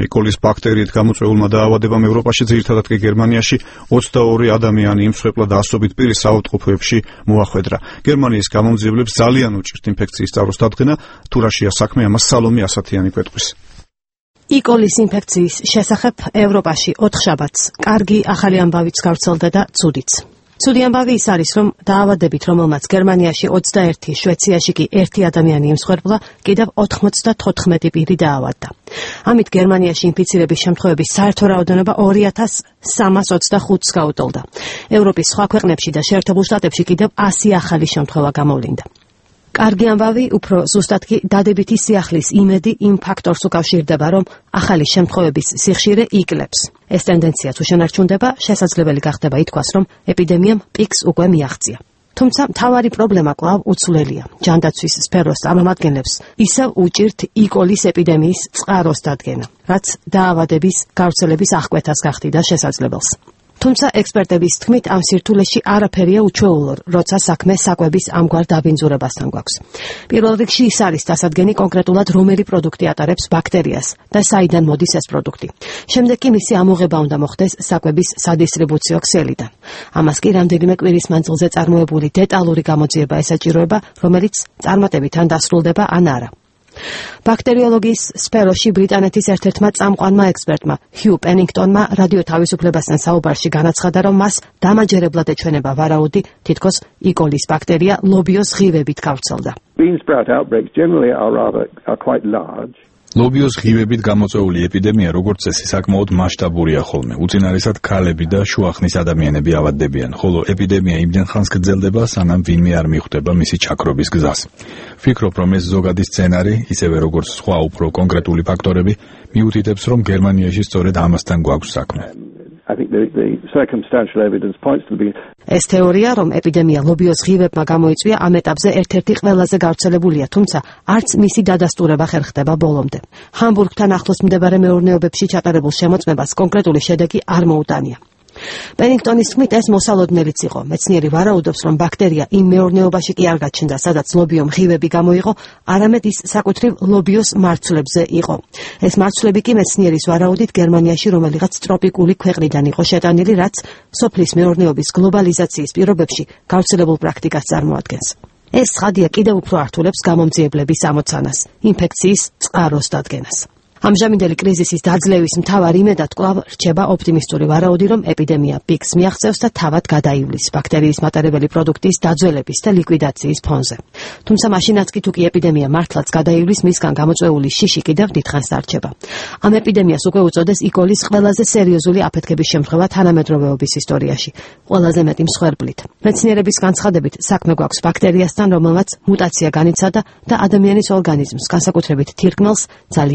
ეკოლის ბაქტერიით გამოწვეულმა დაავადებამ ევროპაში, ძირითადად კი გერმანიაში 22 ადამიანი იმსხვერპლა და ასობით პირი საავადმყოფოებში მოახვედრა. გერმანიის გამომძიებლებს ძალიან უჭირთ ინფექციის წაროს დადგენა, თუ რაშია საქმე, ამას სალომე ასათიანი კვეთყვის. იკოლის ინფექციის შესახებ ევროპაში 4 შაბათს კარგი ახალი ამბავიც გავრცელდა და ცუდიც. ცუდი ამბავი ის არის, რომ დაავადებით, რომელმაც გერმანიაში 21, შვეიცარიაში კი 1 ადამიანი იმსხვერპლა, კიდევ 94 პირი დაავადდა. ამით გერმანიაში ინფიცირების შემთხვევების საერთო რაოდენობა 2325-ს გაუტოლდა. ევროპის სხვა ქვეყნებში და შეერთებულ შტატებში კიდევ 100 ახალი შემთხვევა გამოვლინდა. კარგი ამბავი უფრო ზუსტად კი დადებითი სიახლის იმედი იმ ფაქტორს უკავშირდება, რომ ახალი შემთხვევების სიხშირე იკლებს. ეს ტენდენციაც უშენარჩუნდება, შესაძლებელი გახდება ითქვას, რომ ეპიდემიამ პიკს უკვე მიაღწია. თუმცა მთავარი პრობლემა კვლავ უცვლელია. ჯანდაცვის სფეროს წარმომადგენლებს ისევ უჭირთ იკოლის ეპიდემიის წყაროს დადგენა, რაც დაავადების გავრცელების აღკვეთას გახდიდა შესაძლებელს. თუმცა ექსპერტების თქმით, ამ სირთულეში არაფერია უჩვეულო, როცა საქმე საკვების ამგვარ დაბინძურებასთან გვაქვს. პირველ რიგში ის არის დასადგენი კონკრეტულად რომელი პროდუქტი ატარებს ბაქტერიას და საიდან მოდის ეს პროდუქტი. შემდეგ კი მისი ამოღება უნდა მოხდეს საკვების სადისტრიბუციო ქსელიდან. ამას კი რამდენიმე კვირის მანძილზე წარმოებული დეტალური გამოძიება ესაჭიროება, რომელიც წარმატებით ან დასრულდება, ან არა. ბაქტერიოლოგიის სფეროში ბრიტანეთის ერთ-ერთმა წამყვანმა ექსპერტმა ჰიუ პენინგტონმა რადიო თავისუფლებასთან საუბარში განაცხადა, რომ მას დამაჯერებლად ეჩვენება ვარაუდი, თითქოს იკოლის ბაქტერია ლობიოს ღივებით გავრცელდა. ლობიოს ღივებით გამოწვეული ეპიდემია, როგორც წესი, საკმაოდ მასშტაბურია ხოლმე. უწინარესად ქალები და შუახნის ადამიანები ავადდებიან, ხოლო ეპიდემია იმდენ ხანს გრძელდება, სანამ ვინმე არ მიხვდება მისი ჩაქრობის გზას. ვფიქრობ, რომ ეს ზოგადი სცენარი, ისევე როგორც სხვა უფრო კონკრეტული ფაქტორები, მიუთითებს, რომ გერმანიაში სწორედ ამასთან გვაქვს საქმე. ეს თეორია, რომ ეპიდემია ლობიოს ღივებმა გამოიწვია, ამ ეტაპზე ერთ-ერთი ყველაზე გავრცელებულია, თუმცა არც მისი დადასტურება ხერ ხდება ბოლომდე. ჰამბურგთან ახლოს მდებარე მეურნეობებში ჩატარებულ შემოწმებას კონკრეტული შედეგი არ მოუტანია. პენინგტონის თქმით, ეს მოსალოდნელიც იყო. მეცნიერი ვარაუდობს, რომ ბაქტერია იმ მეურნეობაში კი არ გაჩნდა, სადაც ლობიომ ღივები გამოიღო, არამედ ის საკუთრივ ლობიოს მარცვლებზე იყო. ეს მარცვლები კი მეცნიერის ვარაუდით გერმანიაში რომელიღაც ტროპიკული ქვეყნიდან იყო შეტანილი, რაც სოფლის მეურნეობის გლობალიზაციის პირობებში გავრცელებულ პრაქტიკას წარმოადგენს. ეს ცხადია კიდევ უფრო ართულებს გამომძიებლების ამოცანას, ინფექციის წყაროს დადგენას. ამჟამინდელი კრიზისის დაძლევის მთავარ იმედად კვლავ რჩება ოპტიმისტური ვარაუდი, რომ ეპიდემია პიკს მიაღწევს და თავად გადაივლის ბაქტერიის მატარებელი პროდუქტის დაძველების და ლიკვიდაციის ფონზე. თუმცა მაშინაც კი თუ კი ეპიდემია მართლაც გადაივლის, მისგან გამოწვეული შიში კიდევ დიდხანს დარჩება. ამ ეპიდემიას უკვე უწოდეს იკოლის ყველაზე სერიოზული აფეთქების შემთხვევა თანამედროვეობის ისტორიაში, ყველაზე მეტი მსხვერპლით. მეცნიერების განცხადებით, საქმე გვაქვს ბაქტერიასთან, რომელმაც მუტაცია განიცადა და ადამიანის ორგანიზმს, განსაკუთრებით თირკმელს, ძალიან